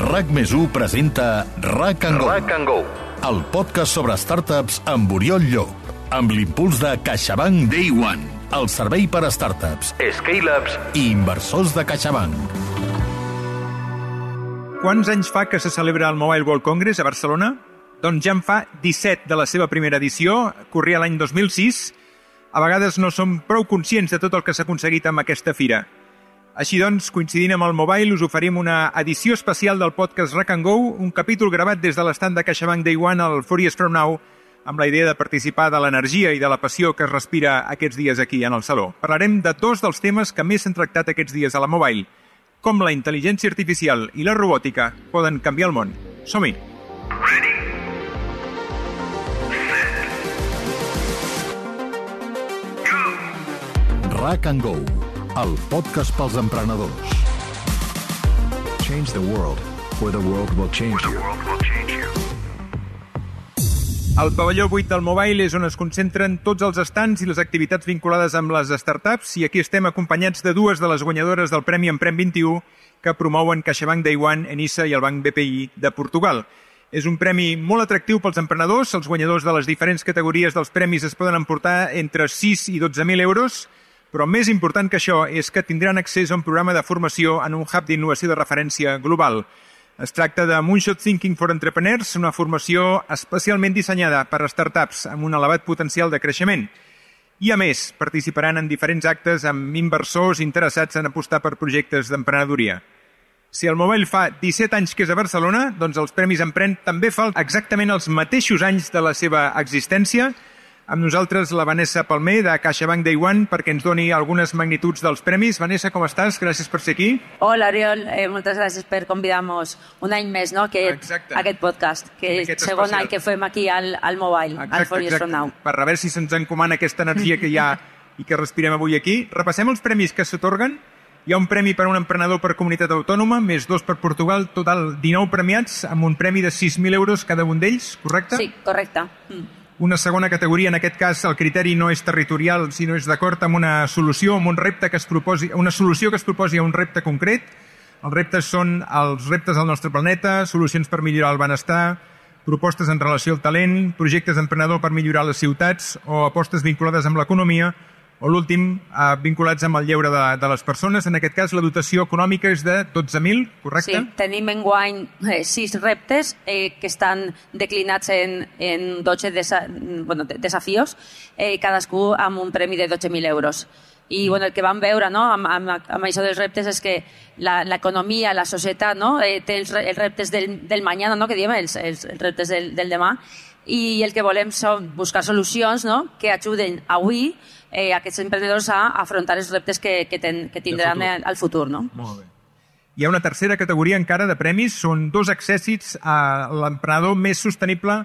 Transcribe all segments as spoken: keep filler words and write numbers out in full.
RAC més u presenta RAC and Go, RAC and Go, el podcast sobre startups amb Oriol Llop, amb l'impuls de CaixaBank Day One, el servei per a startups, scale-ups i inversors de CaixaBank. Quants anys fa que se celebra el Mobile World Congress a Barcelona? Doncs ja en fa disset de la seva primera edició, corria l'any dos mil sis. A vegades no som prou conscients de tot el que s'ha aconseguit amb aquesta fira. Així doncs, coincidint amb el Mobile, us oferim una edició especial del podcast RAC and Go, un capítol gravat des de l'estand de CaixaBank Day One al Four Years From Now, amb la idea de participar de l'energia i de la passió que es respira aquests dies aquí en el Saló. Parlarem de dos dels temes que més s'han tractat aquests dies a la Mobile, com la intel·ligència artificial i la robòtica poden canviar el món. Som-hi! RAC and Go, el podcast pels emprenedors. Change the world, or the world will change you. El pavelló vuit del Mobile és on es concentren tots els stands i les activitats vinculades amb les startups, i aquí estem acompanyats de dues de les guanyadores del Premi Emprèn vint i u que promouen CaixaBank Day One, Enisa i el Banc B P I de Portugal. És un premi molt atractiu pels emprenedors. Els guanyadors de les diferents categories dels premis es poden emportar entre sis i dotze mil euros, però més important que això és que tindran accés a un programa de formació en un hub d'innovació de referència global. Es tracta de Moonshot Thinking for Entrepreneurs, una formació especialment dissenyada per a startups amb un elevat potencial de creixement. I, a més, participaran en diferents actes amb inversors interessats en apostar per projectes d'emprenedoria. Si el Mobile fa disset anys que és a Barcelona, doncs els Premis Emprèn també fa exactament els mateixos anys de la seva existència. Amb nosaltres la Vanessa Palmer, de CaixaBank Day One, perquè ens doni algunes magnituds dels premis. Vanessa, com estàs? Gràcies per ser aquí. Hola, Oriol. Eh, moltes gràcies per convidar-nos un any més, no?, que Exacte. aquest podcast, que és el segon any que fem aquí al, al Mobile, Exacte, al Four Years exacte. From Now. Per a veure si se'ns encomana aquesta energia que hi ha i que respirem avui aquí. Repassem els premis que s'atorguen. Hi ha un premi per a un emprenedor per comunitat autònoma, més dos per Portugal, total dinou premiats, amb un premi de sis mil euros cada un d'ells, correcte? Sí, correcte. Mm. Una segona categoria, en aquest cas el criteri no és territorial, sinó és d'acord amb una solució, amb un repte que es proposi, una solució que es proposi a un repte concret. Els reptes són els reptes del nostre planeta, solucions per millorar el benestar, propostes en relació al talent, projectes d'emprenedor per millorar les ciutats o apostes vinculades amb l'economia, o l'últim, eh, vinculats amb el lleure de, de les persones. En aquest cas, la dotació econòmica és de dotze mil, correcte? Sí, tenim enguany eh, sis reptes eh, que estan declinats en, en dotze desa, bueno, desafios, eh, cadascú amb un premi de dotze mil euros. I bueno, el que vam veure, no, amb, amb, amb això dels reptes és que l'economia, la, la societat, no, eh, té els, els reptes del, del mañana, no, que diem, els, els, els reptes del, del demà, i el que volem són buscar solucions, no, que ajuden avui eh, aquests emprenedors a afrontar els reptes que, que, ten, que tindran futur. al futur. No? Molt bé. Hi ha una tercera categoria encara de premis, són dos accèssits a l'emprenedor més sostenible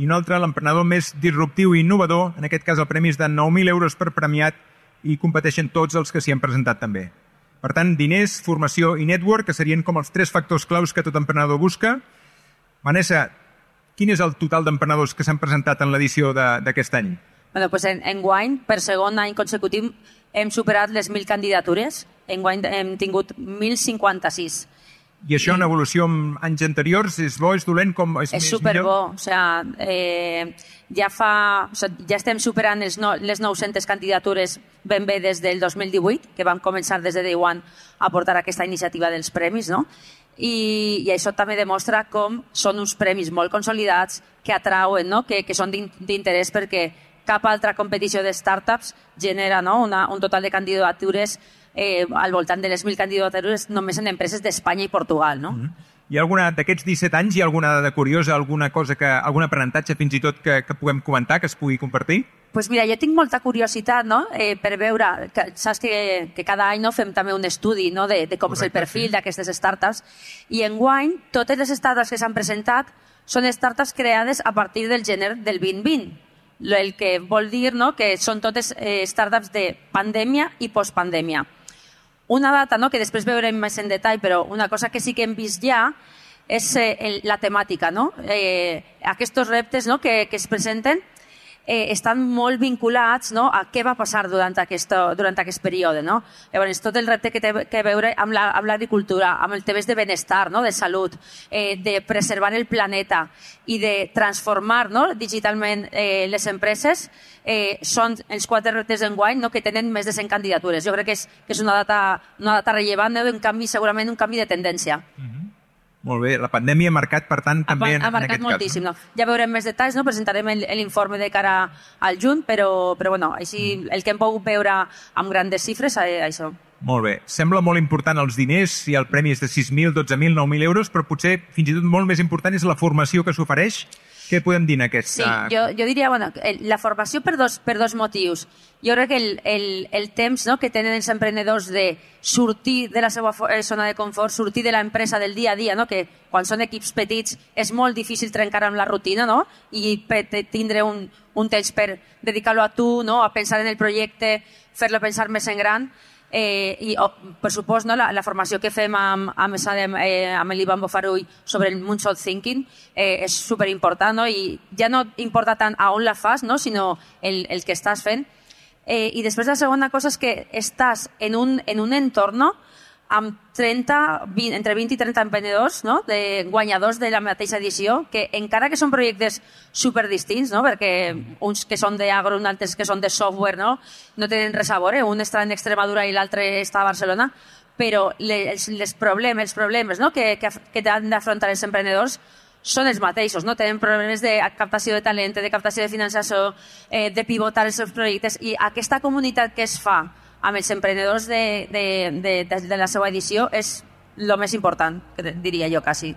i un altre l'emprenedor més disruptiu i innovador. En aquest cas el premi és de nou mil euros per premiat i competeixen tots els que s'hi han presentat també. Per tant, diners, formació i network, que serien com els tres factors claus que tot emprenedor busca. Vanessa, quin és el total d'emprenedors que s'han presentat en l'edició d'aquest any? Bueno, pues en, en guany, per segon any consecutiu, hem superat les mil candidatures. En guany hem tingut mil cinquanta-sis. I això, en evolució amb anys anteriors, és bo, és dolent? Com és, és superbo. O sigui, eh, ja, fa, o sigui, ja estem superant els no, les nou-centes candidatures ben bé des del dos mil divuit, que vam començar des de Day One a portar aquesta iniciativa dels premis, no? I, i això també demostra com són uns premis molt consolidats que atrauen, no? que, que són d'interès perquè cap altra competició de startups genera, no? Una, un total de candidatures eh, al voltant de les mil candidatures només en empreses d'Espanya i Portugal. No? Mm-hmm. Hi ha alguna d'aquests disset anys, hi ha alguna dada curiosa, alguna cosa que, algun aprenentatge fins i tot que, que puguem comentar, que es pugui compartir? Pues mira, jo tinc molta curiositat, no?, eh, per veure, que, saps que, que cada any no, fem també un estudi, no?, de, de com Correcte, és el perfil sí. d'aquestes startups, i enguany totes les startups que s'han presentat són startups creades a partir del gener del vint vint, el que vol dir, no?, que són totes eh, startups de pandèmia i postpandèmia. Una data, no?, que després veurem més en detall, però una cosa que sí que hem vist ja és eh, el, la temàtica, no?, eh, aquests reptes, no?, que, que es presenten. eh, estan molt vinculats, no?, a què va passar durant aquest, durant aquest període. No? Llavors, tot el repte que té que veure amb l'agricultura, la, amb el temes de benestar, no?, de salut, eh, de preservar el planeta i de transformar, no?, digitalment eh, les empreses, eh, són els quatre reptes d'enguany, no?, que tenen més de cent candidatures. Jo crec que és, que és una, data, una data rellevant, no?, un canvi, segurament un canvi de tendència. Mm-hmm. Molt bé, la pandèmia ha marcat, per tant, també ha, en, ha marcat en aquest moltíssim, cas. No? Ja veurem més detalls, no? Presentarem l'informe de cara al juny, però, però bueno, així, el que hem pogut veure amb grandes xifres, eh, això. Molt bé. Sembla molt important els diners, si el premi és de sis mil, dotze mil, nou mil euros, però potser fins i tot molt més important és la formació que s'ofereix. Què podem dir en aquesta... Sí, jo, jo diria, bueno, la formació per dos, per dos motius. Jo crec que el, el, el temps, no?, que tenen els emprenedors de sortir de la seva zona de confort, sortir de l'empresa del dia a dia, no?, que quan són equips petits és molt difícil trencar amb la rutina, no?, i tindre un, un temps per dedicar-lo a tu, no?, a pensar en el projecte, fer-lo pensar més en gran. Eh, i, oh, per supost, no, la, la formació que fem amb, amb, eh, amb l'Ivan Bofarull sobre el Moonshot Thinking eh, és superimportant, no? I ja no importa tant a on la fas, no?, sinó el, el que estàs fent. Eh, I després la segona cosa és que estàs en un, en un entorn, no?, amb trenta, vint, entre vint i trenta emprenedors, no?, de guanyadors de la mateixa edició, que encara que són projectes superdistints, no?, perquè uns que són d'agro, uns altres que són de software, no?, no tenen res a veure, un està en Extremadura i l'altre està a Barcelona, però les, les problemes, els problemes, no?, que, que, que han d'afrontar els emprenedors són els mateixos, no? Tenen problemes de captació de talent, de captació de finançació, eh, de pivotar els seus projectes, i aquesta comunitat que es fa amb els emprenedors de, de, de, de, de la seva edició és el més important, diria jo, quasi.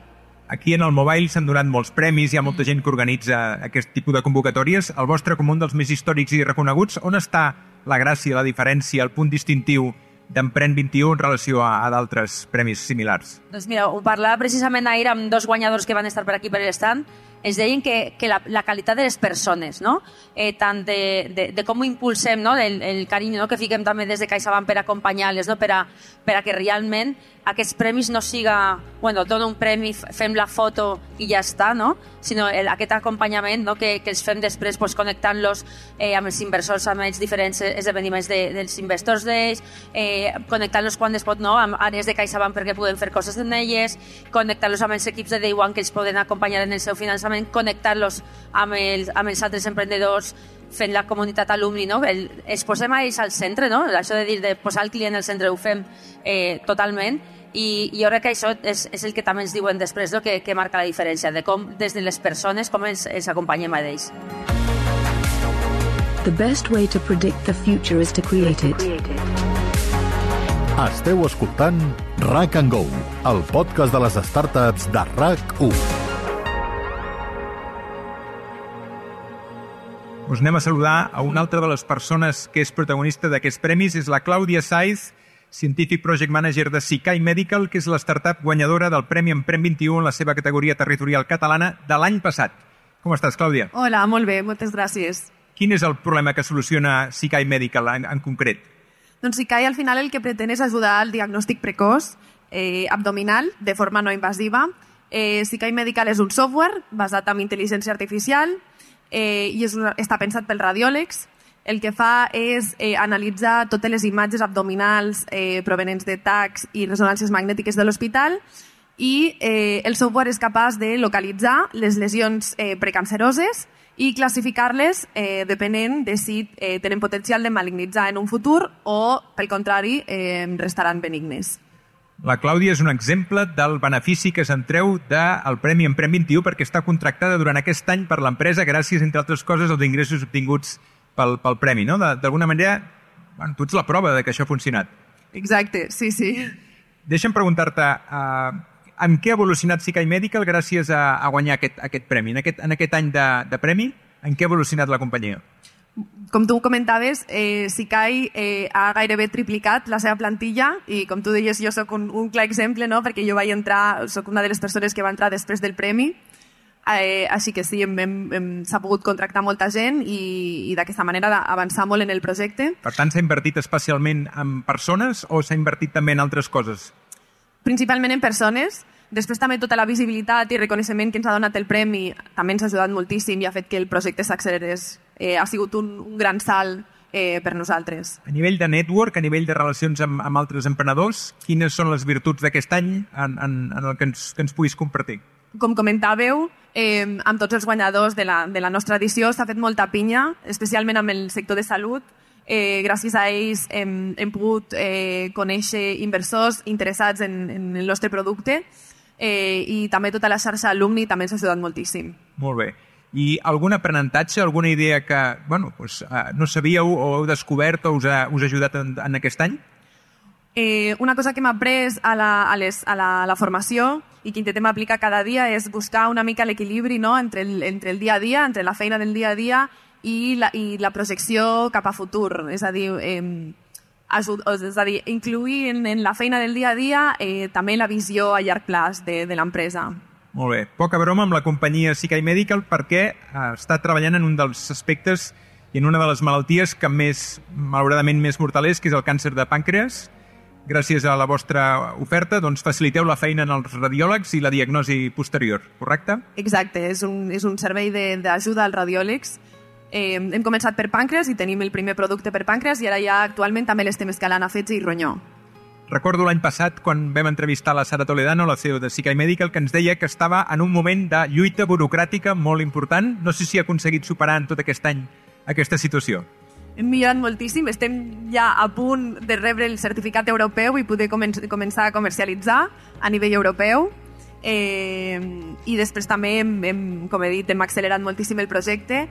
Aquí en el Mobile s'han donat molts premis, hi ha molta gent que organitza aquest tipus de convocatòries. El vostre, com un dels més històrics i reconeguts, on està la gràcia, la diferència, el punt distintiu d'Emprèn vint i u en relació a, a d'altres premis similars? Doncs mira, ho parlava precisament ahir amb dos guanyadors que van estar per aquí per l'estant. Ens deien que, que la, la qualitat de les persones, no? eh, tant de, de, de com ho impulsem, no?, el, el carinyo, no?, que fiquem també des de CaixaBank per acompanyar-les, no?, per, a, per a que realment aquests premis no siga, bueno, dona un premi, fem la foto i ja està, no?, sinó el, aquest acompanyament, no?, que, que els fem després, pues, connectant-los eh, amb els inversors, amb els diferents esdeveniments de, dels Investors Days, eh, connectant-los quan es pot, no?, amb àrees de CaixaBank perquè poden fer coses en elles, connectar-los amb els equips de Day One que els poden acompanyar en el seu finançament, connectar-los amb els, amb els altres emprenedors, fent la comunitat alumni, no? El, els posem a ells al centre, no? Això de dir de posar el client al centre ho fem eh, totalment, i, i jo crec que això és, és el que també ens diuen després, no?, que, que marca la diferència, de com des de les persones com els, els acompanyem a ells. The best way to predict the future is to create it. Esteu escoltant RAC and Go, el podcast de les startups de RAC u. Us anem a saludar a una altra de les persones que és protagonista d'aquests premis, és la Clàudia Saiz, Scientific Project Manager de Sikai Medical, que és la startup guanyadora del Premi Emprèn vint i u en la seva categoria territorial catalana de l'any passat. Com estàs, Clàudia? Hola, molt bé, moltes gràcies. Quin és el problema que soluciona Sikai Medical en, en concret? Doncs Sikai al final el que pretén és ajudar al diagnòstic precoç eh, abdominal de forma no invasiva. Eh, Sikai Medical és un software basat en intel·ligència artificial eh, i és una, està pensat pels radiòlegs. El que fa és eh, analitzar totes les imatges abdominals eh, provenents de tacs i resonàncies magnètiques de l'hospital, i eh, el software és capaç de localitzar les lesions eh, precanceroses i classificar-les eh, depenent de si eh, tenen potencial de malignitzar en un futur o, pel contrari, eh, restaran benignes. La Clàudia és un exemple del benefici que se'n treu del Premi Emprèn vint i u, perquè està contractada durant aquest any per l'empresa gràcies, entre altres coses, als ingressos obtinguts pel, pel premi, no? D'alguna manera, bueno, tu ets la prova de que això ha funcionat. Exacte, sí, sí. Deixa'm preguntar-te, uh, en què ha evolucionat Sikai Medical gràcies a, a guanyar aquest, aquest premi? En aquest, en aquest any de, de premi, en què ha evolucionat la companyia? Com tu comentaves, eh, Sikai eh, ha gairebé triplicat la seva plantilla, i com tu deies, jo sóc un, un clar exemple, no?, perquè jo vaig entrar, sóc una de les persones que va entrar després del premi, eh, així que sí, hem, hem, hem, s'ha pogut contractar molta gent i, i d'aquesta manera avançar molt en el projecte. Per tant, s'ha invertit especialment en persones o s'ha invertit també en altres coses? Principalment en persones. Després també tota la visibilitat i reconeixement que ens ha donat el premi també ens ha ajudat moltíssim i ha fet que el projecte s'accelerés eh, ha sigut un, un gran salt eh, per nosaltres. A nivell de network, a nivell de relacions amb, amb altres emprenedors, quines són les virtuts d'aquest any en, en, en el que ens, que ens puguis compartir? Com comentàveu, eh, amb tots els guanyadors de la, de la nostra edició s'ha fet molta pinya, especialment amb el sector de salut. Eh, gràcies a ells hem, hem pogut eh, conèixer inversors interessats en, en el nostre producte eh, i també tota la xarxa alumni també ens ha ajudat moltíssim. Molt bé. I algun aprenentatge, alguna idea que bueno, pues, uh, no sabíeu o heu descobert o us ha, us ha ajudat en, en aquest any? Eh, una cosa que hem après a la, a les, a la, a la formació i que intentem aplicar cada dia és buscar una mica l'equilibri, no?, entre, el, entre el dia a dia, entre la feina del dia a dia i la, i la projecció cap a futur. És a dir, eh, ajud, és a dir incluir en, en la feina del dia a dia eh, també la visió a llarg plaç de, de l'empresa. Molt bé. Poca broma amb la companyia Sikai Medical perquè uh, està treballant en un dels aspectes i en una de les malalties que més, malauradament, més mortal és, que és el càncer de pàncreas. Gràcies a la vostra oferta, doncs faciliteu la feina en els radiòlegs i la diagnosi posterior, correcte? Exacte, és un, és un servei d'ajuda als radiòlegs. Eh, hem començat per pàncreas i tenim el primer producte per pàncreas i ara ja actualment també l'estem escalant a fetge i ronyó. Recordo l'any passat, quan vam entrevistar la Sara Toledano, la C E O de Sikai Medical, que ens deia que estava en un moment de lluita burocràtica molt important. No sé si ha aconseguit superar en tot aquest any aquesta situació. Hem millorat moltíssim, estem ja a punt de rebre el certificat europeu i poder comen començar a comercialitzar a nivell europeu. Eh, I després també, hem, hem, com he dit, hem accelerat moltíssim el projecte.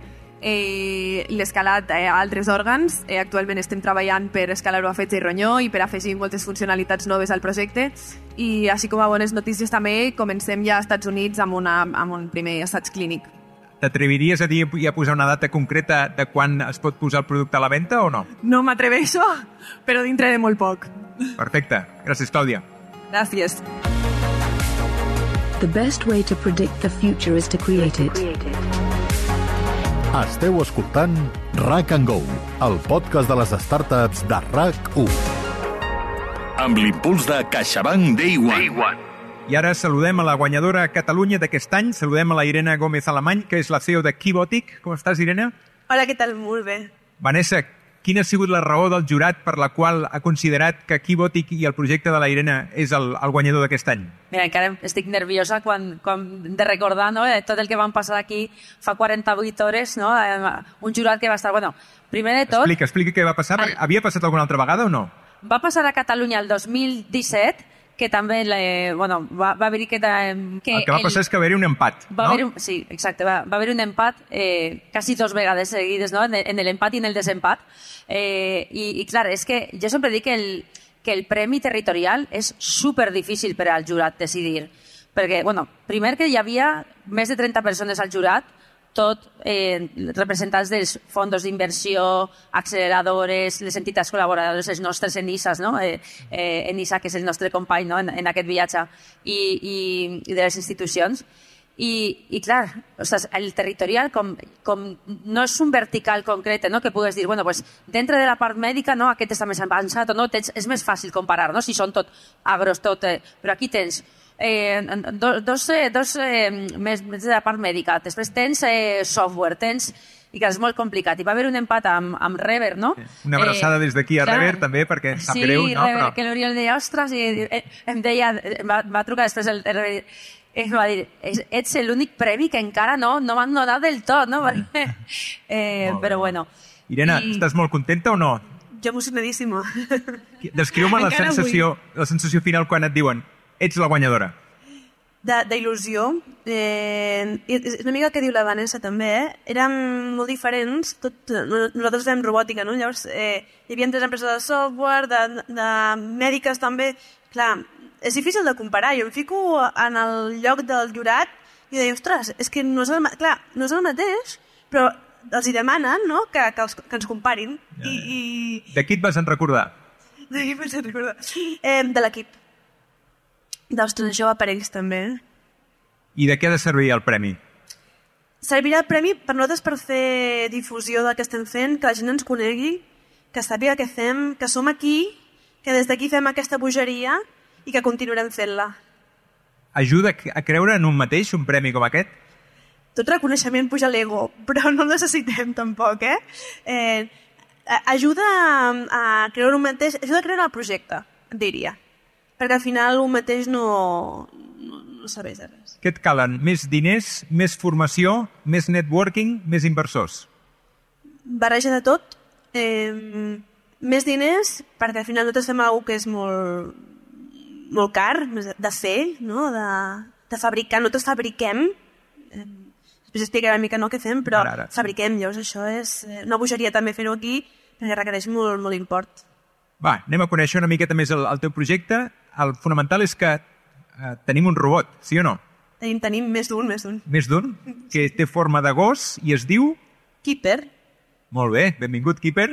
Eh, l'escalat a altres òrgans. Eh, actualment estem treballant per escalar-ho a fetge i ronyó i per afegir moltes funcionalitats noves al projecte i així com a bones notícies també comencem ja als Estats Units amb, una, amb un primer assaig clínic. T'atreviries a dir i a posar una data concreta de quan es pot posar el producte a la venda o no? No m'atreveixo, però dintre de molt poc. Perfecte. Gràcies, Clàudia. Gràcies. The best way to predict the future is to create it. Esteu escoltant RAC and Go, el podcast de les startups de RAC u. Amb l'impuls de CaixaBank Day One. I ara saludem a la guanyadora a Catalunya d'aquest any. Saludem a la Irene Gómez Alemany, que és la C E O de Keybotic. Com estàs, Irene? Hola, què tal? Molt bé. Vanessa, quina ha sigut la raó del jurat per la qual ha considerat que Keybotic i el projecte de la Irene és el, el guanyador d'aquest any? Mira, encara estic nerviosa quan, quan de recordar, no?, tot el que vam passar aquí fa quaranta-vuit hores, no?, un jurat que va estar... Bueno, primer de tot... Explica, explica què va passar. El... Havia passat alguna altra vegada o no? Va passar a Catalunya el dos mil disset, que també eh, bueno, va, va haver-hi que, que... El que va passar el... és que va haver-hi un empat, va no? Haver un, sí, exacte. Va, va haver un empat eh, quasi dos vegades seguides, no?, en, en l'empat i en el desempat. Eh, i, I clar, és que jo sempre dic que el, que el premi territorial és super difícil per al jurat decidir. Perquè, bueno, primer que hi havia més de trenta persones al jurat, tot eh, representants dels fons d'inversió, acceleradores, les entitats col·laboradores, els nostres ENISAs, no? eh, eh, ENISA, que és el nostre company, no?, en, en aquest viatge, i, i, i de les institucions. I, i clar, ostres, el territorial com, com no és un vertical concret, no?, que pugues dir, bueno, pues, dintre de la part mèdica, no?, aquest està més avançat o no, tens, és més fàcil comparar, no?, si són tot agros, tot, eh, però aquí tens Eh, dos, dos, dos eh, més, més de la part mèdica, després tens eh, software, tens... i que és molt complicat. I va haver un empat amb, amb Rever, no? Una abraçada eh, des d'aquí a clar, Rever, també, perquè em sap sí, greu, no? Sí, Rever, però... que l'Oriol deia, ostres, i em deia, va, va trucar després el, el Rever, em va dir, ets l'únic premi que encara no, no m'han donat del tot, no? eh, però bueno. Irene, I... estàs molt contenta o no? Jo emocionadíssima. Descriu-me la sensació, la sensació final quan et diuen ets la guanyadora. d'il·lusió. Eh, és una mica el que diu la Vanessa també, eh? Érem molt diferents, tot, nosaltres fem robòtica, no? Llavors eh, hi havia tres empreses de software, de, de mèdiques també. Clar, és difícil de comparar. Jo em fico en el lloc del jurat i deia, ostres, és que no és el, clar, no és el mateix, però els hi demanen, no?, que, que, els, que ens comparin. Ja, I, i... De qui et vas en recordar? De qui et vas en recordar? Eh, de l'equip. D'Ostres, això va per ells també. I de què ha de servir el premi? Servirà el premi per nosaltres per fer difusió del que estem fent, que la gent ens conegui, que sàpiga què fem, que som aquí, que des d'aquí fem aquesta bogeria i que continuarem fent-la. Ajuda a creure en un mateix, un premi com aquest? tot reconeixement puja l'ego, però no el necessitem tampoc, eh? eh ajuda a, a creure un mateix, ajuda a creure el projecte, et diria. Perquè al final un mateix no, no, no serveix de res. Què et calen? Més diners, més formació, més networking, més inversors? Barreja de tot. Eh, més diners, perquè al final nosaltres fem alguna cosa que és molt, molt car de fer, no? de, de fabricar. Nosaltres fabriquem, eh, després explicaré una mica no què fem, però ara, ara. fabriquem, llavors això és una bogeria també fer-ho aquí, perquè requereix molt, molt import. Va, anem a conèixer una miqueta més el, el teu projecte. El fonamental és que eh, tenim un robot, sí o no? Tenim, tenim més d'un, més d'un. Més d'un? Que té forma de gos i es diu... Keeper. Molt bé, benvingut, Keeper.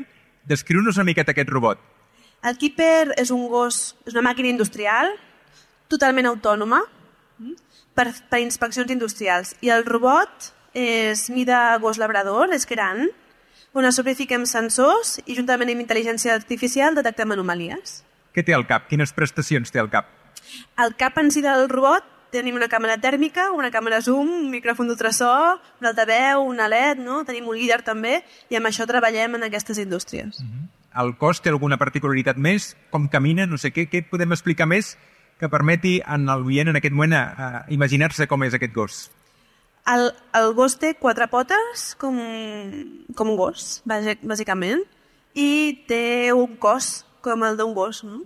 Descriu-nos una miqueta aquest robot. El Keeper és un gos, és una màquina industrial, totalment autònoma, per, per inspeccions industrials. I el robot és mida gos labrador, és gran, on a sobre fiquem sensors i juntament amb intel·ligència artificial detectem anomalies. Què té al cap? Quines prestacions té al cap? Al cap en si del robot tenim una càmera tèrmica, una càmera zoom, un micròfon d'ultrasò, un altaveu, una L E D, no? Tenim un líder també, i amb això treballem en aquestes indústries. Uh-huh. El cos té alguna particularitat més? Com camina? No sé què. Què podem explicar més que permeti en el oient en aquest moment a, a imaginar-se com és aquest gos? El, el gos té quatre potes, com, com un gos, bàsicament, i té un cos com el d'un gos, no?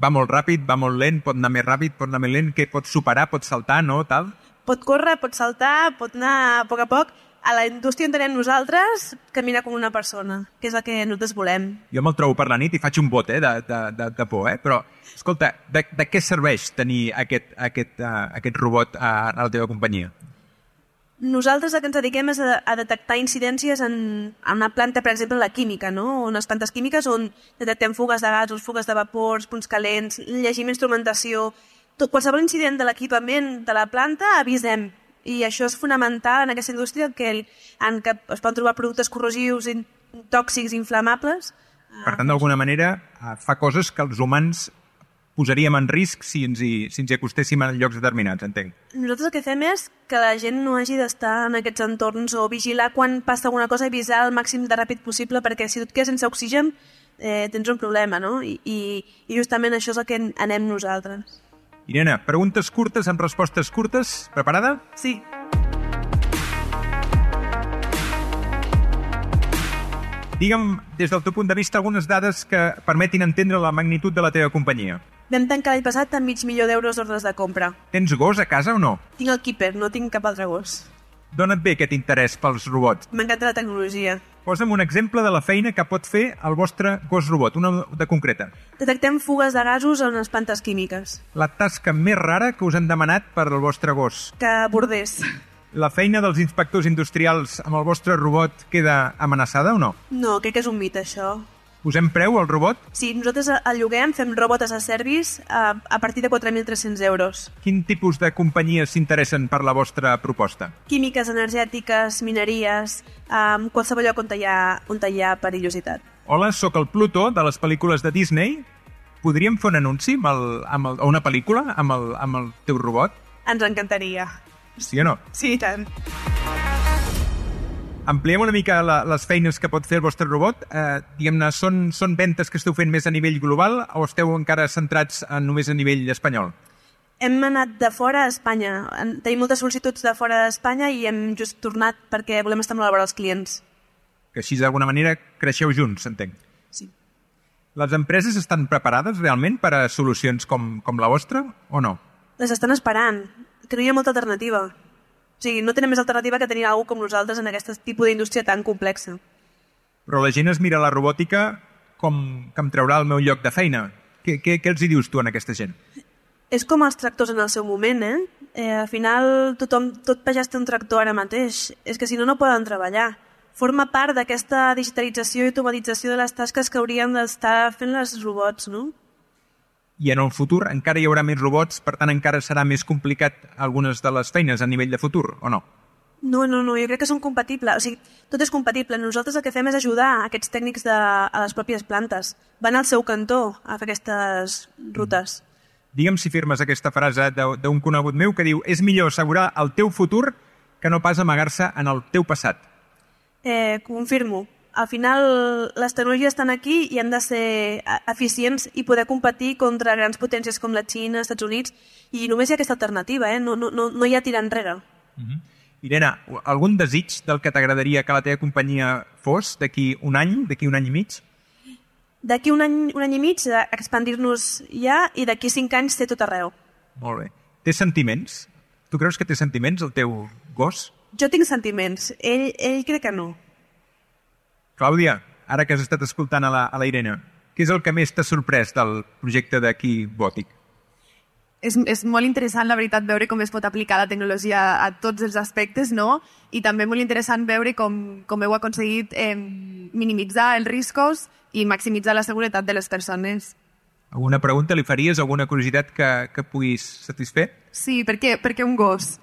Va molt ràpid, va molt lent, pot anar més ràpid, pot anar més lent, que pot superar, pot saltar, no? Tal? Pot córrer, pot saltar, pot anar a poc a poc. A la indústria entenem nosaltres, camina com una persona, que és el que nosaltres volem. Jo me'l trobo per la nit i faig un bot eh, de, de, de, de por, eh? Però, escolta, de, de què serveix tenir aquest, aquest, uh, aquest robot a, a la teva companyia? Nosaltres el que ens dediquem és a, a detectar incidències en, en una planta, per exemple, la química, no? Unes plantes químiques on detectem fugues de gasos, fugues de vapors, punts calents, llegim instrumentació... Tot, qualsevol incident de l'equipament de la planta avisem. I això és fonamental en aquesta indústria, que el, en què es poden trobar productes corrosius, tòxics, inflamables. Per tant, d'alguna manera, fa coses que els humans posaríem en risc si ens hi, si ens hi acostéssim en llocs determinats, entenc. Nosaltres el que fem és que la gent no hagi d'estar en aquests entorns o vigilar quan passa alguna cosa i avisar el màxim de ràpid possible, perquè si tu et quedes sense oxigen eh, tens un problema, no? I, i, i justament això és el que anem nosaltres. Irene, preguntes curtes amb respostes curtes. Preparada? Sí. Digue'm, des del teu punt de vista, algunes dades que permetin entendre la magnitud de la teva companyia. Vam tancar l'any passat amb mig milió d'euros d'ordres de compra. Tens gos a casa o no? Tinc el Keeper, no tinc cap altre gos. D'on et ve aquest interès pels robots? M'encanta la tecnologia. Posa'm un exemple de la feina que pot fer el vostre gos robot, una de concreta. Detectem fugues de gasos en les plantes químiques. La tasca més rara que us han demanat per al vostre gos. Que bordés. La feina dels inspectors industrials amb el vostre robot queda amenaçada o no? No, crec que és un mite, això. Posem preu al robot? Sí, nosaltres el lloguem, fem robot as a service a, a partir de quatre mil tres-cents euros. Quin tipus de companyies s'interessen per la vostra proposta? Químiques, energètiques, mineries, um, qualsevol lloc on hi ha, on hi ha perillositat. Hola, sóc el Pluto de les pel·lícules de Disney. Podríem fer un anunci amb el, amb el, o una pel·lícula amb el, amb el teu robot? Ens encantaria. Sí o no? Sí, tant. Ampliem una mica la, les feines que pot fer el vostre robot. Eh, diguem-ne, són, són ventes que esteu fent més a nivell global o esteu encara centrats en, només a nivell espanyol? Hem anat de fora a Espanya. Tenim moltes sol·licituds de fora d'Espanya i hem just tornat perquè volem estar molt a la vora dels clients. Que així, d'alguna manera, creixeu junts, entenc. Sí. Les empreses estan preparades realment per a solucions com, com la vostra o no? Les estan esperant, que no hi ha molta alternativa. O sigui, no tenen més alternativa que tenir algú com nosaltres en aquest tipus d'indústria tan complexa. Però la gent es mira la robòtica com que em traurà el meu lloc de feina. Què, què, què els hi dius tu a aquesta gent? És com els tractors en el seu moment, eh? eh al final, tothom, tot pagès té un tractor ara mateix. És que si no, no poden treballar. Forma part d'aquesta digitalització i automatització de les tasques que haurien d'estar fent les robots, no? I en el futur encara hi haurà més robots, per tant encara serà més complicat algunes de les feines a nivell de futur, o no? No, no, no, jo crec que són compatibles. O sigui, tot és compatible. Nosaltres el que fem és ajudar aquests tècnics de, a les pròpies plantes. Van al seu cantó a fer aquestes rutes. Digue'm si firmes aquesta frase d'un conegut meu que diu: és millor assegurar el teu futur que no pas amagar-se en el teu passat. Eh, confirmo. Al final, les tecnologies estan aquí i han de ser eficients i poder competir contra grans potències com la Xina, els Estats Units, i només hi ha aquesta alternativa, eh? no, no, no hi ha tirar enrere. Uh-huh. Irene, algun desig del que t'agradaria que la teva companyia fos d'aquí un any, d'aquí un any i mig? D'aquí un any, un any i mig, expandir-nos ja, i d'aquí cinc anys ser tot arreu. Molt bé. Té sentiments? Tu creus que té sentiments, el teu gos? Jo tinc sentiments. Ell, ell crec que no. Clàudia, ara que has estat escoltant a la, a la Irene, què és el que més t'ha sorprès del projecte d'aquí Bòtic? És, és molt interessant, la veritat, veure com es pot aplicar la tecnologia a tots els aspectes, no? I també molt interessant veure com, com heu aconseguit eh, minimitzar els riscos i maximitzar la seguretat de les persones. Alguna pregunta li faries? Alguna curiositat que, que puguis satisfer? Sí, per què, per què un gos?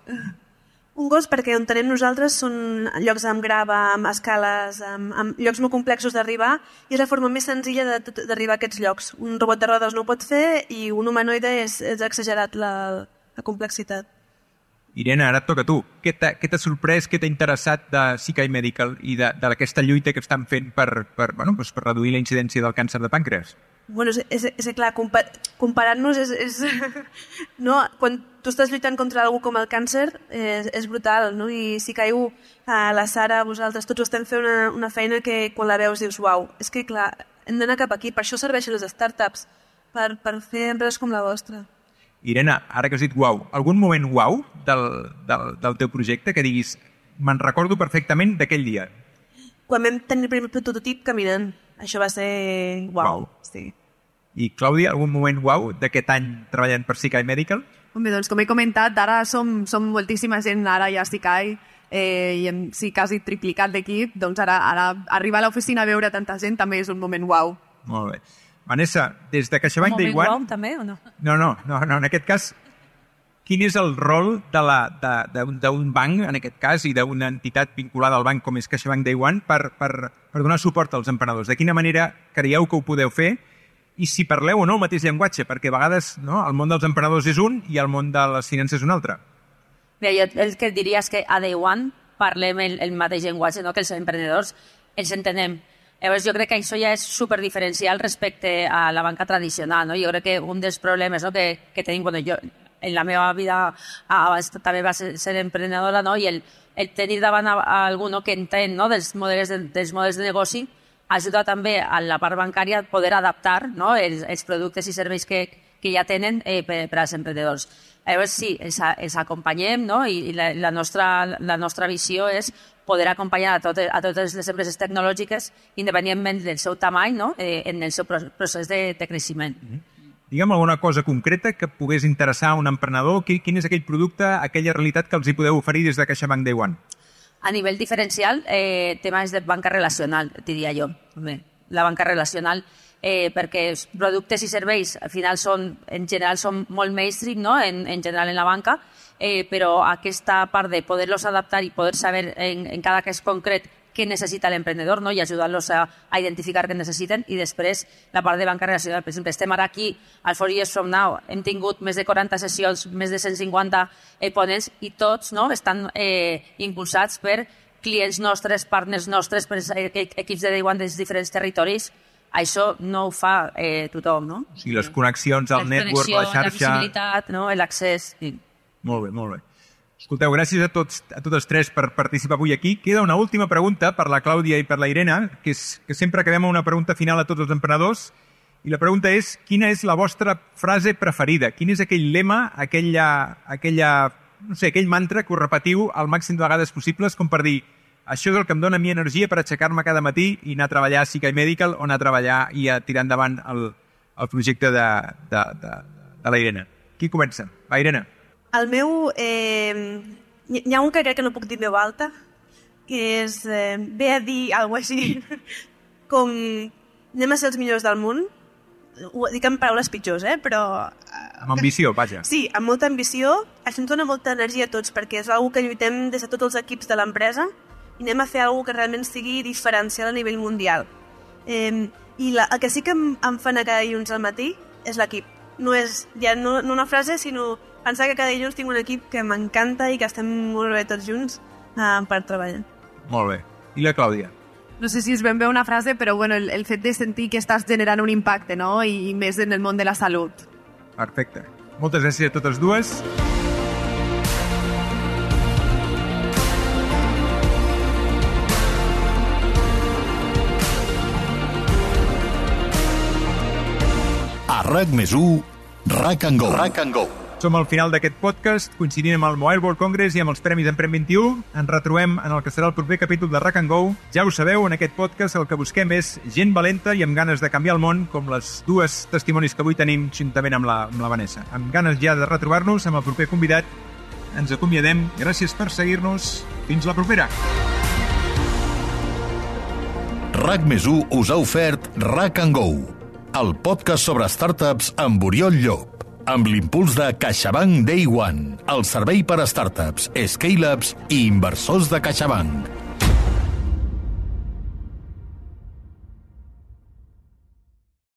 Un gos perquè on tenim nosaltres són llocs amb grava, amb escales, amb, amb llocs molt complexos d'arribar, i és la forma més senzilla d'arribar a aquests llocs. Un robot de rodes no ho pot fer i un humanoide és, és exagerat la, la complexitat. Irene, ara et toca a tu. Què t'ha sorprès, què t'ha interessat de Sikai Medical i d'aquesta lluita que estan fent per, per, bueno, doncs per reduir la incidència del càncer de pàncreas? Bueno, és, és, és clar, compar, comparant-nos és, és... no? Quan tu estàs lluitant contra algú com el càncer és, és brutal, no? I si caiu a la Sara, vosaltres tots estem fent una, una feina que quan la veus dius uau, és que clar, hem d'anar cap aquí, per això serveixen les startups, per, per fer empreses com la vostra. Irene, ara que has dit uau, algun moment uau del, del, del teu projecte que diguis me'n recordo perfectament d'aquell dia? Quan vam tenir el primer prototip caminant, això va ser uau. Uau. Sí. I Clàudia, algun moment uau d'aquest any treballant per Sikai Medical? Home, doncs com he comentat, ara som, som moltíssima gent, ara ja a Sikai, eh, i hem sí, quasi triplicat l'equip, doncs ara, ara arribar a l'oficina a veure tanta gent també és un moment uau. Molt bé. Vanessa, des de CaixaBank Day One... Un moment uau també o no? No, no, no, no, en aquest cas, quin és el rol d'un banc, en aquest cas, i d'una entitat vinculada al banc com és CaixaBank Day One per, per, per donar suport als emprenedors? De quina manera creieu que ho podeu fer? I si parleu o no el mateix llenguatge, perquè a vegades no, el món dels emprenedors és un i el món de les finances és un altre. Bé, jo el que et diria és que a Day One parlem el, el mateix llenguatge, no? Que els emprenedors els entenem. Llavors jo crec que això ja és superdiferencial respecte a la banca tradicional. No? Jo crec que un dels problemes no, que, que tenim, bueno, jo en la meva vida abans també va ser, ser emprenedora, no? I el, el tenir davant a, a algú no, que entén no, dels, models de, dels models de negoci ajuda també a la part bancària a poder adaptar no, els, els productes i serveis que, que ja tenen eh, per, per als emprenedors. Llavors sí, els, els acompanyem no? I la, la, nostra, la nostra visió és poder acompanyar a, tot, a totes les empreses tecnològiques independentment del seu tamany no? eh, en el seu procés de, de creixement. Mm-hmm. Digue'm alguna cosa concreta que pogués interessar a un emprenedor. Quin és aquell producte, aquella realitat que els hi podeu oferir des de CaixaBank Day One? A nivell diferencial, eh, temes de banca relacional, diria jo. Bé, la banca relacional, eh, perquè els productes i serveis al final són, en general són molt mainstream, no? en, en general en la banca, eh, però aquesta part de poder-los adaptar i poder saber en, en cada cas concret què necessita l'emprenedor no? I ajudar-los a, a identificar què necessiten i després la part de banca relacional. Per exemple, estem ara aquí al Four Years From Now, hem tingut més de quaranta sessions, més de cent cinquanta eh, ponents i tots no? Estan eh, impulsats per clients nostres, partners nostres, per equips de Day One dels diferents territoris. Això no ho fa eh, tothom, no? O sigui, les connexions al les network, la xarxa... La visibilitat, no? l'accés... Sí. Molt bé, molt bé. Escolteu, gràcies a tots, a totes tres per participar avui aquí. Queda una última pregunta per la Clàudia i per la Irene, que és que sempre acabem amb una pregunta final a tots els emprenedors. I la pregunta és, quina és la vostra frase preferida? Quin és aquell lema, aquella, aquella, no sé, aquell mantra que us repetiu al màxim de vegades possibles, com per dir, això és el que em dona a mi energia per aixecar-me cada matí i anar a treballar a Sikai Medical o anar a treballar i a tirar endavant el, el projecte de, de, de, de la Irene. Qui comença? Va, Irene. El meu... Eh, hi ha un que crec que no puc dir en veu alta, que és... Eh, ve a dir alguna cosa així, com anem a ser els millors del món. Ho dic en paraules pitjors, eh? Però... Amb ambició, vaja. Sí, amb molta ambició. Això ens dona molta energia a tots, perquè és una que lluitem des de tots els equips de l'empresa i anem a fer alguna que realment sigui diferencial a nivell mundial. Eh, I la, el que sí que em, em fa anar cada dilluns al matí és l'equip. no és ja no, no una frase, sinó pensar que cada dilluns tinc un equip que m'encanta i que estem molt bé tots junts uh, per treballar. Molt bé. I la Clàudia? No sé si és ben bé una frase, però bueno, el, el fet de sentir que estàs generant un impacte, no? I, i més en el món de la salut. Perfecte. Moltes gràcies a totes dues. A RAC més u, RAC and Go. RAC and Go. Som al final d'aquest podcast, coincidint amb el Mobile World Congress i amb els Premis Emprèn vint i u. Ens retrobem en el que serà el proper capítol de RAC and Go. Ja ho sabeu, en aquest podcast el que busquem és gent valenta i amb ganes de canviar el món, com les dues testimonis que avui tenim juntament amb la, amb la Vanessa. Amb ganes ja de retrobar-nos amb el proper convidat. Ens acomiadem. Gràcies per seguir-nos. Fins la propera. RAC més u us ha ofert RAC and Go, el podcast sobre startups amb Oriol Llop, amb l'impuls de CaixaBank Day One, el servei per a startups, scale-ups i inversors de CaixaBank.